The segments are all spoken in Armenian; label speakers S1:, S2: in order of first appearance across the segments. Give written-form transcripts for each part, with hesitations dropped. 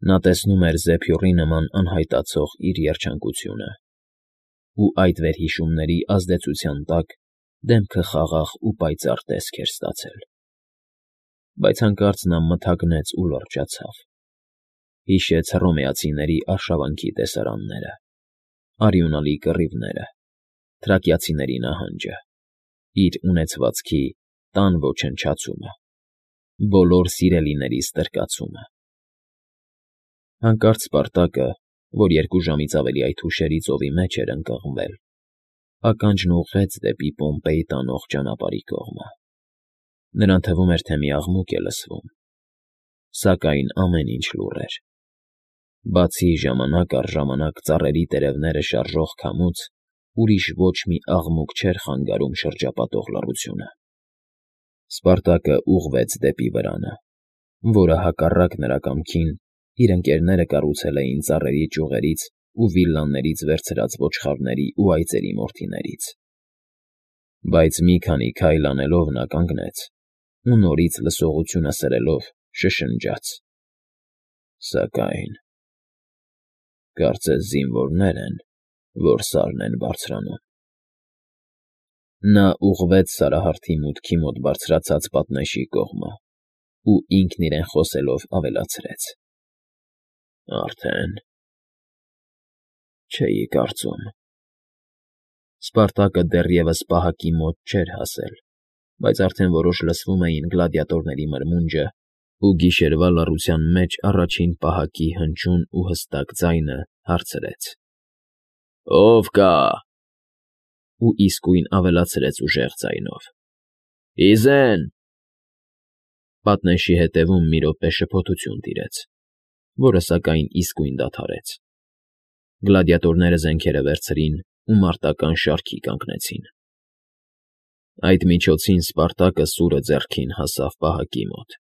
S1: Նա տեսնում էր զեփյուռի նման անհայտացող իր երջանկությունը, ու այդ վերհիշումների ազդեցության տակ դեմքը խաղաղ ու պայծառ տեսք էր ստացել։ Բայց հանկարծ նա մթագնեց ու լրջացավ։ Հիշեց հռոմեացիների արշավանքի տեսարանները, արյունալի կռիվները, թրակիացիների նահանջը, իր ունեցվածքի տան ոչնչացումը, բոլոր սիրելիների ստրկացումը։ Հանկարծ Սպարտակը, որ 2 ժամից ավելի այդ հուշերի ծովի մեջ էր ընկղմվել, ականջն ուղղեց դեպի Պոմպեյ տանող ճանապարհի կողմը։ Նրան թվում էր, թե մի աղմուկ է լսվում, սակայն ամեն ինչ լուռ էր։ Բացի ժամանակ առ ժամանակ ծառերի տերևները շարժող քամուց, ուրիշ ոչ մի աղմուկ չէր խանգարում շրջապատող լռությունը։ Սպարտակը ուղղվեց դեպի վրանը, որը հակառակ նրա կամքին իր ընկերները կառուցել էին ծառերի ճյուղերից ու վիլլաներից վերցրած ոչխարների ու այծերի մորթիներից։ Բայց մի քանի քայլ անելով նա կանգնեց ու նորից լսողությունը սրելով շշնջաց. «Սակայն… կարծես զինվորներ են, որ սարն են բարձրանում»։ Նա ուղղվեց Սարահարթի մուտքի մոտ բարձրացած պատնեշի կողմը ու ինքն իրեն խոսելով ավելացրեց. «Արդեն… չէի կարծում»։ Սպարտակը դեռևս պահակի մոտ չէր հասել, բայց արդեն որոշ լսվում էին գլադիատորների մրմունջը, ու գիշերվա լռության մեջ առաջին պահակի հնչյուն ու հստակ ձայնը հարցրեց. «Ո՞վ կա»։ Ու իսկույն ավելացրեց ուժեղ ձայնով. «Ի զեն»։ Պատնեշի ետևում մի րոպե շփոթություն տիրեց, որը սակայն իսկույն դադարեց։ Գլադիատորները զենքերը վերցրին ու մարտական շարքի կանգնեցին։ Այդ միջոցին Սպարտակը սուրը ձեռքին հասավ պահակի մոտ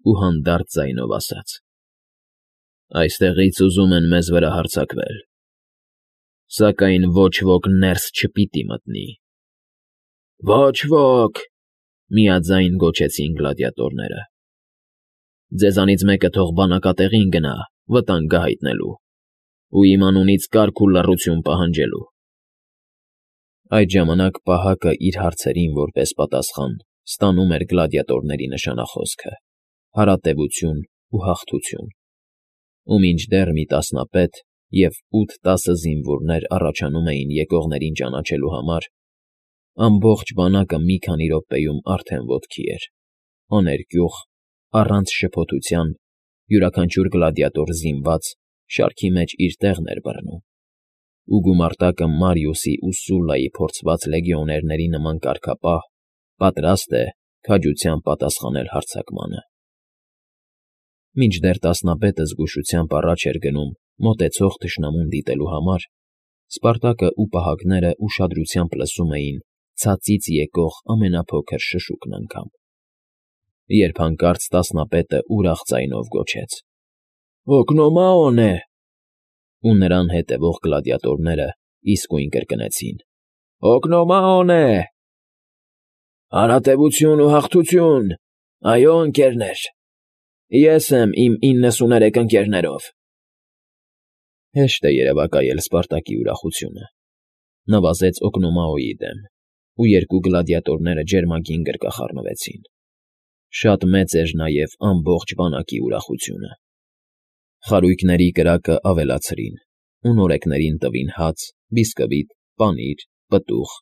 S1: ու հանդարտ ձայնով ասաց. «Այստեղից ուզում են մեզ վրա հարձակվել, սակայն ոչ ոք ներս չպիտի մտնի»։ «Ոչ ոք», միաձայն գոչեցին գլադիատորները։ «Ձեզանից մեկը թող բանակատեղին գնա վտանգը հայտնելու ու իմ անունից կարգ ու լռություն պահանջելու»։ Այդ ժամանակ պահակը իր հարցերին որպես պատասխան ստանում էր գլադիատորների նշանախոսքը՝ հարատևություն ու հաղթություն, ու մինչդեռ մի տասնապետ և 8-10 զինվորներ առաջանում էին եկողներին ճանաչելու համար, ամբողջ բանակը մի քանի րոպեում արդեն ոտքի էր, աներկյուղ, առանց շփոթության, յուրաքանչյուր գլադիատոր զինված շարքի մեջ իր տեղն էր բռնում, ու գումարտակը Մարիուսի ու Սուլլայի փորձված լեգիոներների նման կարգապահ, պատրաստ է քաջությամբ պատասխանել հարձակմանը։ Մինչդեռ տասնապետը զգուշությամբ առաջ էր գնում մոտեցող թշնամուն դիտելու համար, Սպարտակը ու պահակները ուշադրությամբ լսում էին ցածից եկող ամենափոքր շշուկն անգամ, երբ հանկարծ տասնապետը ուրախ ձայնով գոչեց. «Հոգնոմաոն է»։ Ու նրան հետևող գլադիատորները իսկույն կրկնեցին. «Հոգնոմաոն է»։ «Հարատևություն ու հաղթություն, այո, ընկերներ, ես եմ իմ 93 ընկերներով»։ Հեշտ է երևակայել Սպարտակի ուրախությունը։ Նվազեց Օկնոմաոյի դեմ, ու 2 գլադիատորները ջերմագին գրկախառնվեցին։ Շատ մեծ էր նաև ամբողջ բանակի ուրախությունը։ Խարույկների կրակը ավելացրին ու նորեկներին տվին հաց, բիսկվիտ, պանիր, պտուղ,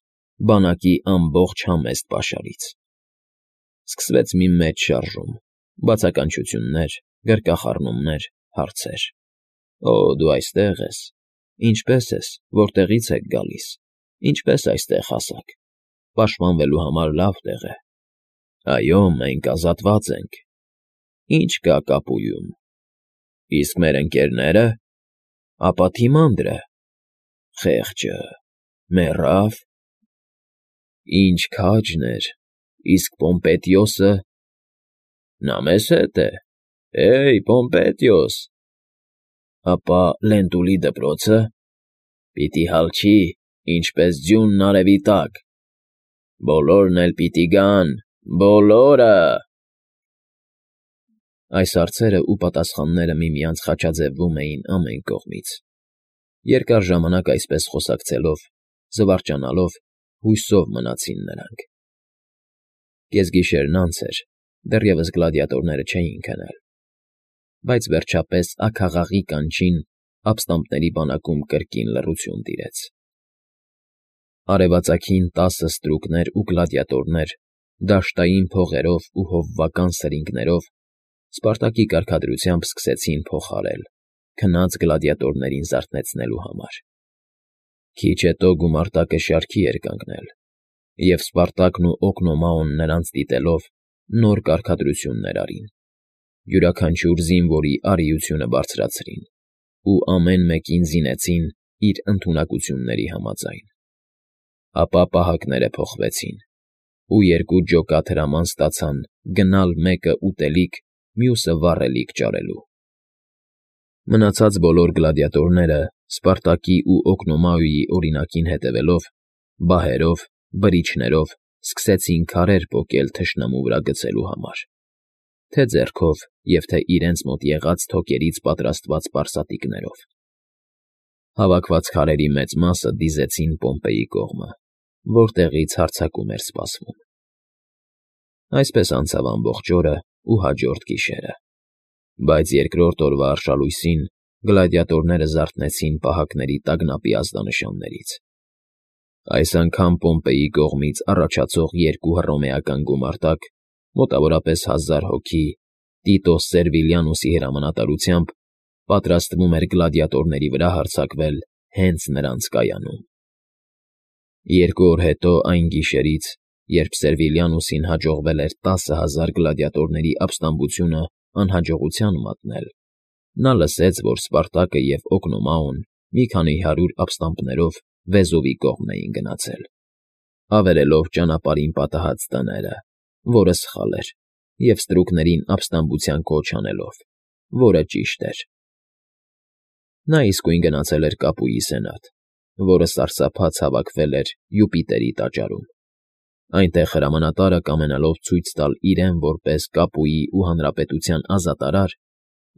S1: բանակի ամբողջ համեստ պաշարից։ Սկսվեց մի մեծ շարժում, բացականչություններ, գրկախառնումներ, հարցեր. «Օ, դու այստեղ ես, ինչպե՞ս ես, որտեղի՞ց եք գալիս, ինչպե՞ս այստեղ հասաք, պաշտպանվելու համար լավ տեղ է»։ «Այո, մենք ազատված ենք»։ «Ի՞նչ կա կապույում»։ «Իսկ մեր ընկերները»։ «Ապա Թիմանդրը»։ «Խեղճը մեռա՞վ»։ «Ինչ քաջն էր, իսկ Պոմպետիոսը»։ «Նա մեզ հետ է, հե՜յ, Պոմպետիոս»։ «Ապա Լենտուլի դպրո՞ցը»։ «Պիտի հալչի, ինչպես ձյունն արևի տակ»։ «Բոլորն էլ պիտի գան, բոլորը»։ Այս հարցերը ու պատասխանները միմյանց խաչաձևվում էին ամեն կողմից։ Երկար ժամանակ այսպես խոսակցելով, զվարճանալով, հույսով մնացին նրանք։ Կեսգիշերն անց էր, դեռևս գլադիատորները չէին քնել, բայց վերջապես աքաղաղի կանչին ապստամբների բանակում կրկին լռություն տիրեց։ Արևածագին 10 ստրուկներ ու գլադիատորներ դաշտային փողերով ու հովվական սրինգներով Սպարտակի կարգադրությամբ սկսեցին փոխարել, քնած գլադիատորներին զարթնեցնելու համար։ Քիչ հետո գումարտակը շարքի էր կանգնել, և Սպարտակն ու Օկնոմաոն նրանց դիտելով նոր կարգադրություններ արին, յուրաքանչյուր զինվորի արիությունը բարձրացրին ու ամեն մեկին զինեցին իր ընդունակությունների համաձայն։ Ապա պահակները փոխվեցին, ու երկու ջոկատ հրաման ստացան գնալ մեկը ուտելիք, մյուսը վառելիք ճարելու։ Մնացած բոլոր գլադիատորները Սպարտակի ու Օկնոմաոյի օրինակին հետևելով, բահերով, բրիչներով սկսեցին քարեր պոկել թշնամու վրա գցելու համար, թե ձեռքով և թե իրենց մոտ եղած թոքերից պատրաստված պարսատիկներով։ Հավաքված քարերի մեծ մասը դիզեցին Պոմպեի կողմը, որտեղից հարձակում էր սպասվում։ Այսպես անցավ ամբողջ օրը ու հաջորդ գիշերը, բայց երկրորդ օրվա արշալույսին գլադիատորները զարթնեցին պահակների տագնապի ազդանշաններից։ Այս անգամ Պոմպեի կողմից առաջացող երկու հռոմեական գումարտակ, մոտավորապես 1000 հոգի, Տիտոս Սերվիլիանուսի հրամանատարությամբ պատրաստվում էր գլադիատորների վրա հարձակվել հենց նրանց կայանում։ 2 օր հետո այն գիշերից, երբ Սերվիլիանուսին հաջողվել էր 10,000 գլադիատորների ապստամբությունը անհաջողության մատնել, նա լսեց, որ Սպարտակը և Օկնոմաոն մի քանի 100 ապստամբներով Վեզովի կողմն էին գնացել, ավերելով ճանապարհին պատահած տները, որը սխալ էր, և ստրուկներին ապստամբության կոչ անելով, որը ճիշտ էր։ Նա իսկույն գնացել էր Կապուի սենատ, որը սարսափած հավաքվել էր Յուպիտերի տաճարում։ Այնտեղ հրամանատարը, կամենալով ցույց տալ իրեն որպես Կապուի ու հանրապետության ազատարար,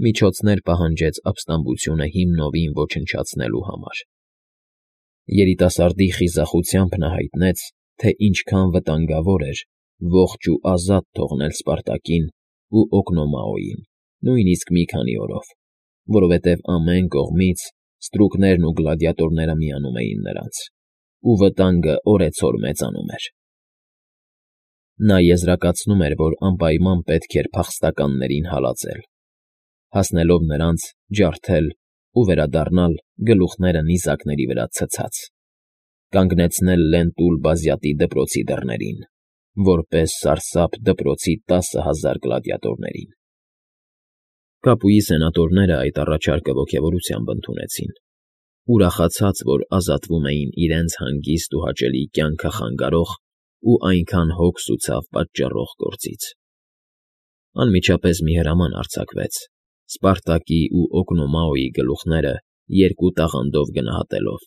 S1: միջոցներ պահանջեց ապստամբությունը հիմնովին ոչնչացնելու համար։ Երիտասարդի խիզախությամբ նա հայտնեց, թե ինչքան վտանգավոր էր ողջ ու ազատ թողնել Սպարտակին ու Օկնոմաոյին, նույնիսկ մի քանի օրով, որովհետև ամեն կողմից ստրուկներն ու գլադիատորները միանում էին նրանց, ու վտանգը օրեցօր մեծանում էր։ Նա եզրակացնում էր, որ անպայման պետք էր փախստականներին հալածել, հասնելով նրանց, ջարդել ու վերադառնալ գլուխները նիզակների վրա ցցած, կանգնեցնել Լենտուլ Բազյատի դպրոցի դռներին, որպես սարսափ դպրոցի 10,000 գլադիատորներին։ Կապուի սենատորները այդ առաջարկը ոգևորությամբ ընդունեցին, ուրախացած, որ ազատվում էին իրենց հանգիստ ու հաճելի կյանքը խանգարող ու այնքան հոգս ու ցավ պատճառող գործից։ Անմիջապես մի հրաման արձակվեց, Սպարտակի ու Օկնոմաոյի գլուխները 2 տաղանդով գնահատելով,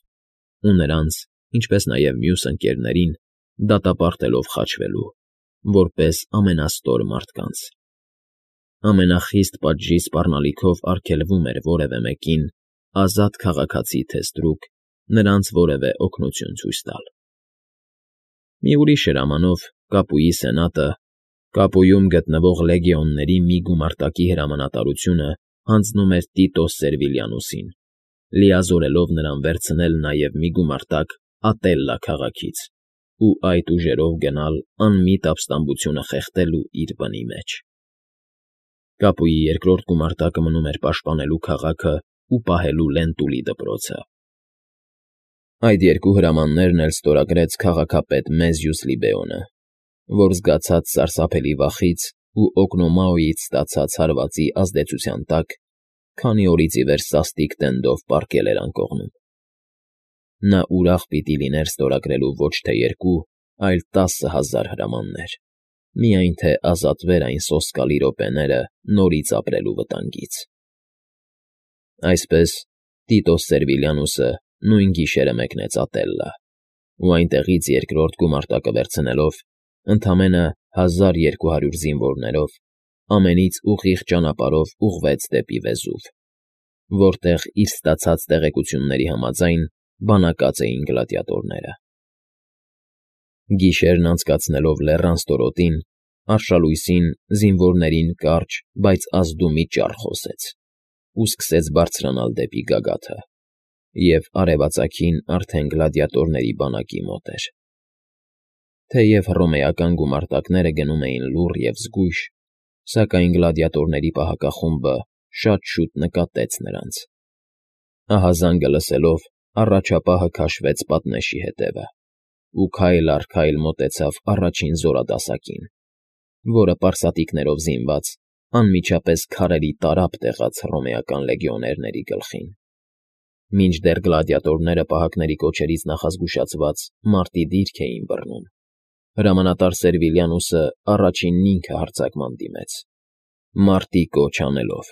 S1: ու նրանց, ինչպես նաև մյուս ընկերներին, դատապարտելով խաչվելու, որպես ամենաստոր մարդկանց։ Ամենախիստ պատժի սպառնալիքով արգելվում էր որևէ մեկին, ազատ քաղաքացի թե ստրուկ, նրանց որևէ օգնություն ցույց տալ։ Մի ուրիշ հրամանով Կապուի սենատը Կապույում գտնվող լեգիոնների մի գումարտակի հրամանատարությունը հանձնում էր Տիտոս Սերվիլիանուսին, լիազորելով նրան վերցնել նաև մի գումարտակ Ատելլա քաղաքից ու այդ ուժերով գնալ անմիտ ապստամբությունը խեղդելու իր բնի մեջ։ Կապուի երկրորդ գումարտակը մնում էր պաշտպանելու քաղաքը ու պահելու Լենտուլի դպրոցը։ Այդ երկու հրամաններն էլ ստորագրեց քաղաքապետ Մեզյուս Լիբեոնը, որ զգացած սարսափելի վախից ու Օկնոմաոյից ստացած հարվածի ազդեցության տակ, քանի օրից ի վեր սաստիկ տենդով պառկել էր անկողնում։ Նա ուրախ պիտի լիներ ստորագրելու ոչ թե 2, այլ 10,000 հրամաններ, միայն թե ազատվեր այն սոսկալի րոպեները նորից ապրելու վտանգից։ Այսպես Տիտոս Սերվիլիանուսը նույն գիշերը մեկնեց Ատելլա, ու այնտեղից երկրորդ գումարտակը վերցնելով, ընդամենը 1200 զինվորներով ամենից ուղիղ ճանապարհով ուղղվեց դեպի Վեզուվ, որտեղ իր ստացած տեղեկությունների համաձայն բանակած էին գլադիատորները։ Գիշերն անցկացնելով լեռան ստորոտին, արշալույսին զինվորներին կարճ, բայց ազդումի ճառ խոսեց ու սկսեց բարձրանալ դեպի գագաթը, և արևածագին արդեն գլադիատորների բանակի մոտ էր։ Թեև հռոմեական գումարտակները գնում էին լուռ և զգույշ, սակայն գլադիատորների պահակախումբը շատ շուտ նկատեց նրանց։ Ահազանգը լսելով, առաջապահը քաշվեց պատնեշի հետևը ու քայլ առ քայլ մոտեցավ առաջին զորադասակին, որը պարսատիկներով զինված անմիջապես քարերի տարափ տեղաց հռոմեական լեգիոներների գլխին։ Մինչդեռ գլադիատորները պահակների կոչերից նախազգուշացված մարտի դիրք էին բռնում, հրամանատար Սերվիլիանուսը առաջինն ինքը հարձակման դիմեց, մարտի կոչ անելով,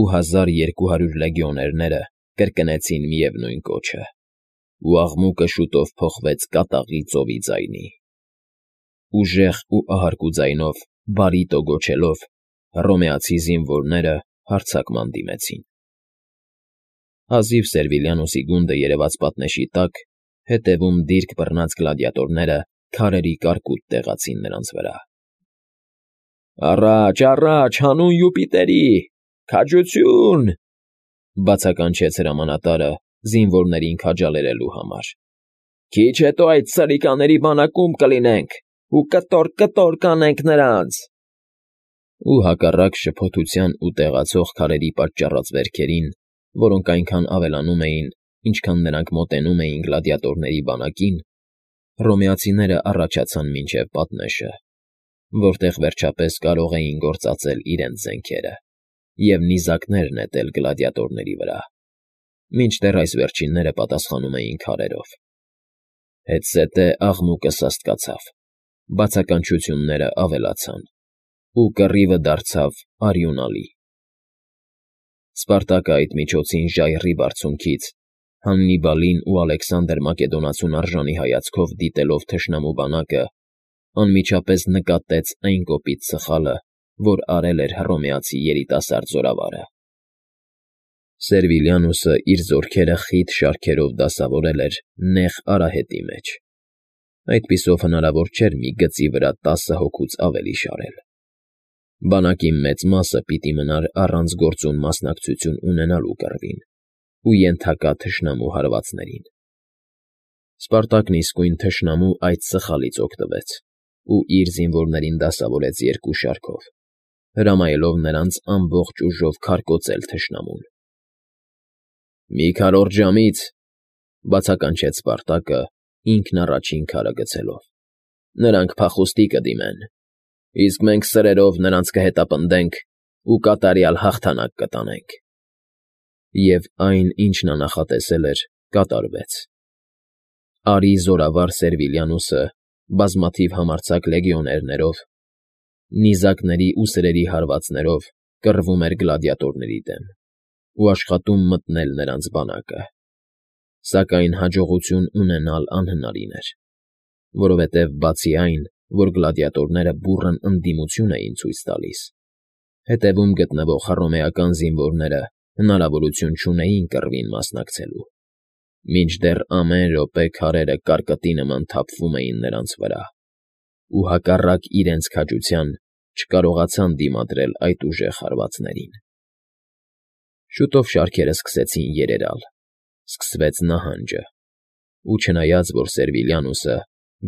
S1: ու 1200 լեգիոներները կրկնեցին միևնույն կոչը, ու աղմուկը շուտով փոխվեց կատաղի ծովի ձայնի։ Ուժեղ ու ահարկու ձայնով, բարիտո գոչելով, հռոմեացի զինվորները հարձակման դիմեցին։ Հազիվ Սերվիլիանոսի գունդը երևաց պատնեշի տակ, հետևում դիրք բռնած գլադիատորները քարերի կարկուտ տեղացին նրանց վրա։ «Առաջ, առաջ, հանուն Յուպիտերի, քաջություն…» բացականչեց հրամանատարը զինվորներին քաջալերելու համար։ «Քիչ հետո այդ սրիկաների բանակում կլինենք ու կտոր կանենք նրանց»։ Ու հակառակ շփոթության ու տեղացող քարերի պատճառած վերքերին, որոնք այնքան ավելանում էին, ինչքան նրանք մոտենում էին գլադիատորների բանակին, հռոմեացիները առաջացան մինչև պատնեշը, որտեղ վերջապես կարող էին գործածել իրենց զենքերը և նիզակներ նետել գլադիատորների վրա, մինչդեռ այս վերջինները պատասխանում էին քարերով։ Հետզհետե աղմուկը սաստկացավ, բացականչությունները ավելացան, ու կռիվը դարձավ արյունալի։ Սպարտակը այդ միջոցին ժայռի բարձունքից, Հաննիբալին ու Ալեքսանդր Մակեդոնացուն արժանի հայացքով դիտելով թշնամու բանակը, անմիջապես նկատեց այն կոպիտ սխալը, որ արել էր հռոմեացի երիտասարդ զորավարը։ Սերվիլիանուսը իր զորքերը խիտ շարքերով դասավորել էր նեղ արահետի մեջ։ Այդպիսով հնարավոր չէր մի գծի վրա 10 հոգուց ավելի շարել։ Բանակի մեծ մասը պիտի մնար առանց գործուն մասնակցություն ունենալու կռվին ու ենթակա թշնամու հարվածներին։ Սպարտակն իսկույն թշնամու այդ սխալից օգտվեց ու իր զինվորներին դասավորեց երկու շարքով, հրամայելով նրանց ամբողջ ուժով քարկոծել թշնամուն։ «Մի քառորդ ժամից,» բացականչեց Սպարտակը, ինքն առաջին քարը գցելով,֊ նրանք փախուստի կդիմեն, իսկ մենք սրերով նրանց կհետապնդենք ու կատարյալ հաղթանակ կտանենք։ Եվ այն, ինչ նա նախատեսել էր, կատարվեց։ Արի զորավար Սերվիլիանուսը բազմաթիվ համարձակ լեգիոներներով, նիզակների ու սրերի հարվածներով կռվում էր գլադիատորների դեմ ու աշխատում մտնել նրանց բանակը, սակայն հաջողություն ունենալ անհնարին էր, որովհետև բացի այն, որ գլադիատորները բուռն ընդդիմություն էին ցույց տալիս, հետևում գտնվող հռոմեական զինվորները հնարավորություն չունեին կռվին մասնակցելու, մինչդեռ ամեն րոպե քարերը կարկտի նման թափվում էին նրանց վրա, ու հակառակ իրենց քաջության չկարողացան դիմադրել այդ ուժեղ հարվածներին։ Շուտով շարքերը սկսեցին երերալ, սկսվեց նահանջը, ու չնայած որ Սերվիլիանուսը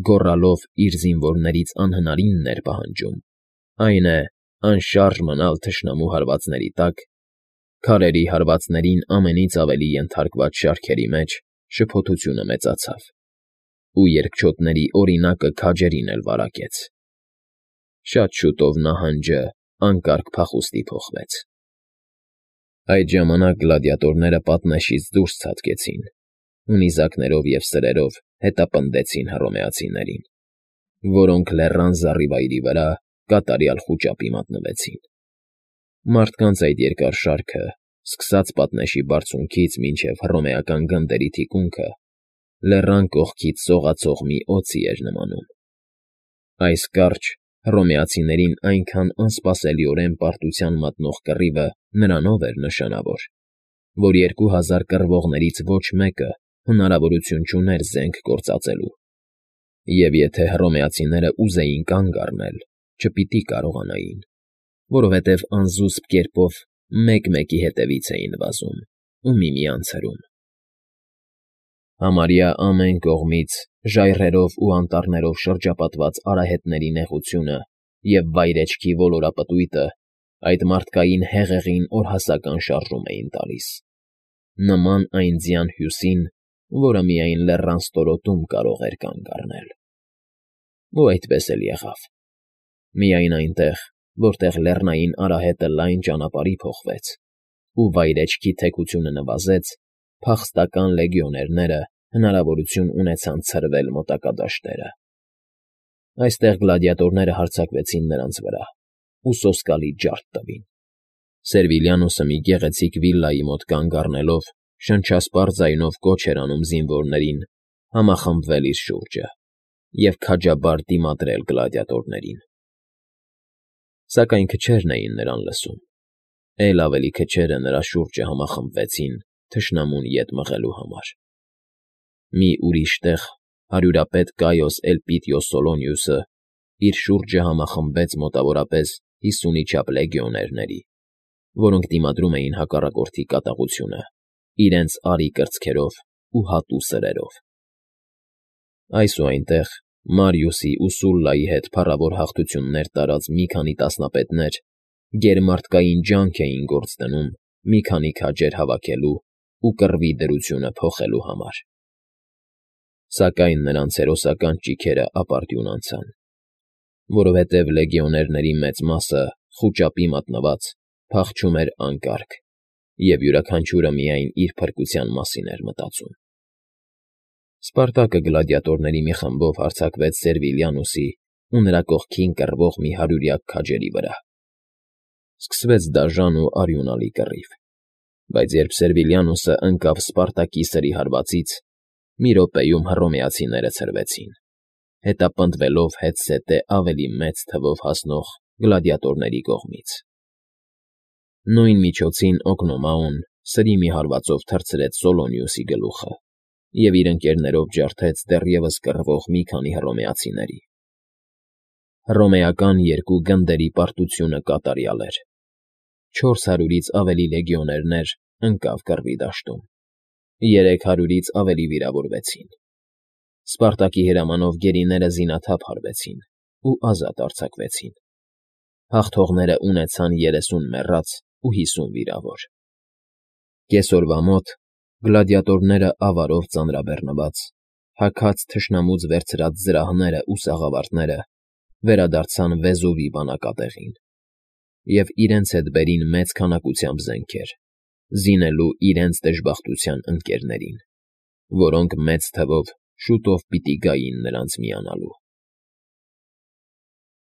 S1: գոռալով իր զինվորներից անհնարինն էր պահանջում, այն է, անշարժ մնալ թշնամու հարվածների տակ, քարերի հարվածներին ամենից ավելի ենթարկված շարքերի մեջ շփոթությունը մեծացավ, ու երկչոտների օրինակը քաջերին էլ վարակեց։ Շատ շուտով նահանջը անկարգ փախուստի փոխվեց։ Այդ ժամանակ գլադիատորները պատնեշից դուրս ցատկեցին ու նիզակներով և սրերով հետապնդեցին հռոմեացիներին, որոնք լեռան զառիվայրի վրա կատարյալ խուճապի մատնվեցին։ Մարդկանց այդ երկար շարքը, սկսած պատնեշի բարձունքից մինչև հռոմեական գնդերի թիկունքը, լեռան կողքից սողացող մի օձի էր նմանում։ Այս կարճ, Հռոմեացիներին այնքան անսպասելիորեն պարտության մատնող կռիվը նրանով էր նշանավոր, որ 2000 կռվողներից ոչ մեկը հնարավորություն չուներ զենք գործածելու, և եթե հռոմեացիները ուզեին կանգ առնել, չպիտի կարողանային, որովհետև անզուսպ կերպով մեկ֊մեկի հետևից էին վազում ու միմյանց հրում։ Համարյա ամեն կողմից ժայռերով ու անտառներով շրջապատված արահետների նեղությունը և վայրէջքի ոլորապտույտը այդ մարդկային հեղեղին օրհասական շարժում էին տալիս, նման այն ձյան հյուսին, որը միայն լեռան ստորոտում կարող էր կանգ առնել։ Ու այդպես էլ եղավ։ Միայն այնտեղ, որտեղ լեռնային արահետը լայն ճանապարհի փոխվեց ու վայրէջքի թեքությունը նվազեց, փախստական լեգիոներները հնարավորություն ունեցան ցրվել մոտակա դաշտերը։ Այստեղ գլադիատորները հարձակվեցին նրանց վրա ու սոսկալի ջարդ տվին։ Սերվիլիանոսը մի գեղեցիկ վիլլայի մոտ կանգ առնելով շնչասպառ ձայնով կոչ էր անում զինվորներին համախմբվել իր շուրջը և քաջաբար դիմադրել գլադիատորներին։ Սակայն քչերն էին նրան լսում, էլ ավելի քչերը նրա շուրջը համախմբվեցին թշնամուն ետ մղելու համար։ Մի ուրիշ տեղ հարյուրապետ Կայոս Էլպիդիո Սոլոնիուսը իր շուրջը համախմբեց մոտավորապես 50-ի չափ լեգիոներների, որոնք դիմադրում էին հակառակորդի կատաղությունը իրենց արի կրծքերով ու հատու սրերով։ Այս ու այնտեղ Մարիուսի ու Սուլլայի հետ փառավոր հաղթություններ տարած մի քանի տասնապետներ գերմարտկային ջանք էին գործ դնում մի քանի քաջեր հավաքելու ու կռվի դրությունը փոխելու համար։ Սակայն նրանց հերոսական ճիգերը ապարդյուն անցան, որովհետև լեգիոներների մեծ մասը, խուճապի մատնված, փախչում էր անկարգ, և յուրաքանչյուրը միայն իր փրկության մասին էր մտածում։ Սպարտակը գլադիատորների մի խմբով հարձակվեց Սերվիլիանոսի ու նրա կողքին կռվող մի հարյուրյակ քաջերի վրա։ Սկսվեց դաժան ու արյունալի կռիվ, բայց երբ Սերվիլիանոսը ընկավ Սպարտակի սրի հարվածից, մի րոպեում հռոմեացիները ցրվեցին, հետապնդվելով հետզհետե ավելի մեծ թվով հասնող գլադիատորների կողմից։ Նույն միջոցին Օգնոմաոն սրի մի հարվածով թռցրեց Սոլոնիուսի գլուխը և իր ընկերներով ջարդեց դեռևս կռվող մի քանի հռոմեացիների։ Հռոմեական երկու գնդերի պարտությունը կատարյալ էր։ 400-ից ավելի լեգիոներներ ընկավ կռվի դաշտում, 300-ից ավելի վիրավորվեցին։ Սպարտակի հրամանով գերիները զինաթափ հարվեցին ու ազատ արձակվեցին։ Հաղթողները ունեցան 30 մեռած ու 50 վիրավոր։ Կեսօրվա մոտ գլադիատորները ավարով ծանրաբեռնված, հագած թշնամուց վերցրած զրահները ու սաղավարտները վերադարձան Վեզուվի բանակատեղին և իրենց հետ բերին մեծ քանակությամբ զենքեր, զինելու իրենց դժբախտության ընկերներին, որոնք մեծ թվով շուտով պիտի գային նրանց միանալու։